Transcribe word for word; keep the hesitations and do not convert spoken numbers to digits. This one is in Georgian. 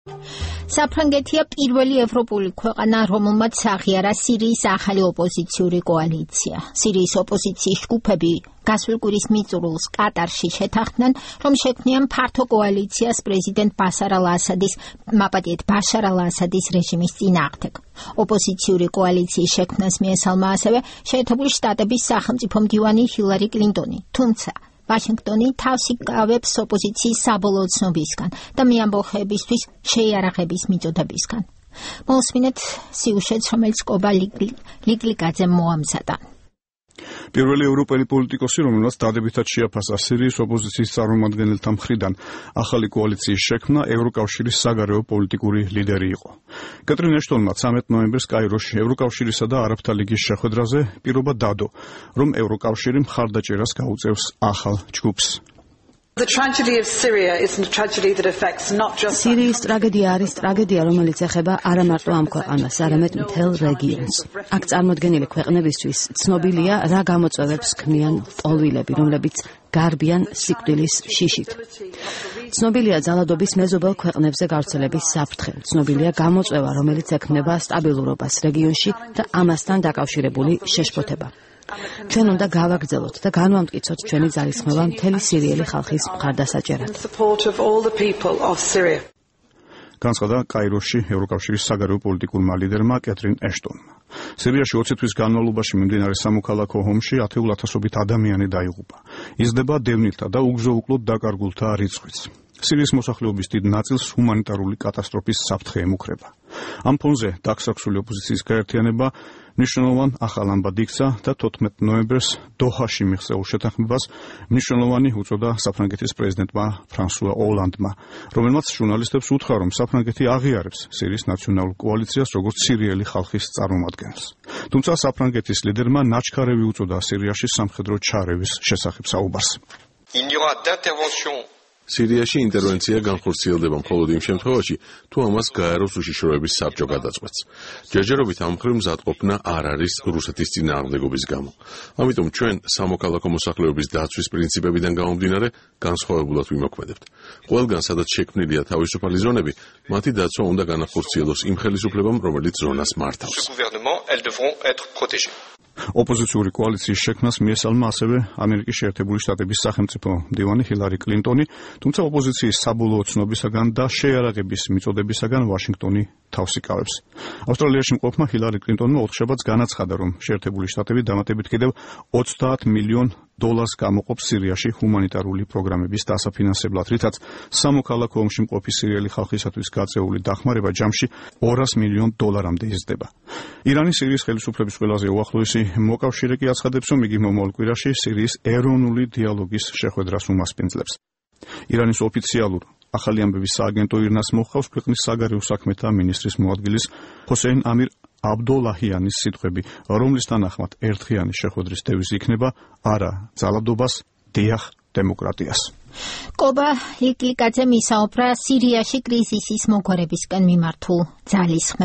საფრანგეთია პირველი ევროპული ქვეყანა, რომელმაც აღიარა სირიის ახალი ოპოზიციური კოალიცია. სირიის ოპოზიციის ჯგუფები გასულ კვირის მიწურულს კატარში შეთანხმდნენ, რომ შექმნიან ფართო კოალიციას პრეზიდენტ ბაშარ ალ-ასადის, მაპატიეთ ბაშარ ალ-ასადის რეჟიმის წინააღმდეგ. ოპოზიციური კოალიციის შექმნას მიესალმა ასევე შეერთებული შტატების სახელმწიფო მდივანი ჰილარი კლინტონი, თუმცა ვაშინგტონი თავს იკავებს ოპოზიციის საბოლოო ცნობისგან და მეამბოხეებისთვის შეიარაღების მიწოდებისგან. მოვსმინეთ სიუჟეტს, რომელიც კობა ლიკლიკაძემ მოამზადა. პირველი ევროპელი პოლიტიკოსი, რომელმაც დადებითად შეაფასა სირიის ოპოზიციის წარმომადგენელთა მხრიდან ახალი კოალიციის შექმნა, ევროკავშირის საგარეო პოლიტიკური ლიდერი იყო. კეტრინ ეშტონმა ცამეტ ნოემბერს კაიროში ევროკავშირისა და არაბთა ლიგის შეხვედრაზე პირობა დადო, რომ ევროკავშირი მხარდაჭერას გაუწევს ახალ ჯგუფს. სირიის ტრაგედია არის ტრაგედია, რომელიც ეხება არა მარტო ამ ქვეყანას, არამედ მთელ რეგიონს. აქ წარმოდგენილი ქვეყნებისთვის ცნობილია, რა გამოწვევებს ქმნიან ტოლვილები, რომლებიც გარბიან სიკვდილის შიშით. ცნობილია ძალადობის მეზობელ ქვეყნებზე გავრცელების საფრთხე. ცნობილია გამოწვევა, რომელიც ექმნება სტაბილურობას რეგიონში და ამასთან დაკავშირებული შეშფოთება. ჩვენ უნდა გავაგრძელოთ და განვამტკიცოთ ჩვენი ძალისხმევა მთელი სირიელი ხალხის მხარდასაჭერად. განცხადა კაიროში ევროკავშირის საგარეო პოლიტიკურმა ლიდერმა კეტრინ ეშტონმა. სირიაში ოცი თვის განმავლობაში მიმდინარე სამოქალაქო ომში ათეულ ათასობით ადამიანი დაიღუპა. იზრდება დევნილთა და უგზო-უკლოდ დაკარგულთა რიცხვიც. სირიის მოსახლეობის დიდ ნაწილს ჰუმანიტარული კატასტროფის საფრთხე ემუქრება. ამ ფონზე დაქსაქსული ოპოზიციის გაერთიანება მნიშვნელოვან ახალ ამბად იქცა და თოთხმეტ ნოემბერს დოჰაში მიღწეულ შეთანხმებას მნიშვნელოვანი უწოდა საფრანგეთის პრეზიდენტმა ფრანსუა ოლანდმა, რომელმაც ჟურნალისტებს უთხრა, რომ საფრანგეთი აღიარებს სირიის ნაციონალურ კოალიციას როგორც სირიელი ხალხის წარმომადგენელს. თუმცა საფრანგეთის ლიდერმა ნაჩქარევი უწოდა სირიაში სამხედრო ჩარევის შესახებ საუბარს. სირიაში ინტერვენცია განხორციელდება მხოლოდ იმ შემთხვევაში, თუ ამას გაეროს უშიშროების საბჭო გადაწყვეტს. ჯერჯერობით ამ მხრივ მზადყოფნა არ არის რუსეთის წინააღმდეგობის გამო. ამიტომ ჩვენ სამოქალაქო მოსახლეობის დაცვის პრინციპებიდან გამომდინარე განსხვავებულად ვიმოქმედებთ. ყველგან, სადაც შექმნილია თავისუფალი ზონები, მათი დაცვა უნდა განახორციელოს იმ ხელისუფლებამ, რომელიც ზონას მართავს. ოპოზიციური კოალიციის შექმნას მიესალმა ასევე ამერიკის შეერთებული შტატების სახელმწიფო მდივანი ჰილარი კლინტონი, თუმცა ოპოზიციის საბოლოო ცნობისაგან და შეიარაღების მიწოდებისაგან ვაშინგტონი თავს იკავებს. ავსტრალიაში მყოფმა ჰილარი კლინტონმა ოთხშაბათს განაცხადა, რომ შეერთებული შტატები დამატებით კიდევ ოცდაათ მილიონ დოლარს გამოყოფს სირიაში ჰუმანიტარული პროგრამების დასაფინანსებლად, რითაც სამოქალაქო ომში მყოფი სირიელი ხალხისათვის გაწეული დახმარება ჯამში ორას მილიონ დოლარამდე იზრდება. ირანი სირიის ხელისუფლების ყველაზე უახლოესი მოკავშირე კი აცხადებს, რომ იგი მომავალ კვირაში სირიის ეროვნული დიალოგის შეხვედრას უმასპინძლებს. ირანის ოფიციალურ ახალი ამბების სააგენტო ირნას მოჰყავს ქვეყნის საგარეო საქმეთა მინისტრის მოადგილის ჰოსეინ ამირ აბდოლაჰიანის სიტყვები, რომლის თანახმად ერთხიანი შეხვედრის დევიზი იქნება არა ძალადობას, დიახ დემოკრატიას. კობა ლიკლიკაძემ ისაუბრა სირიაში კრიზისის მოგვარებისკენ მიმართულ ძალისხმევ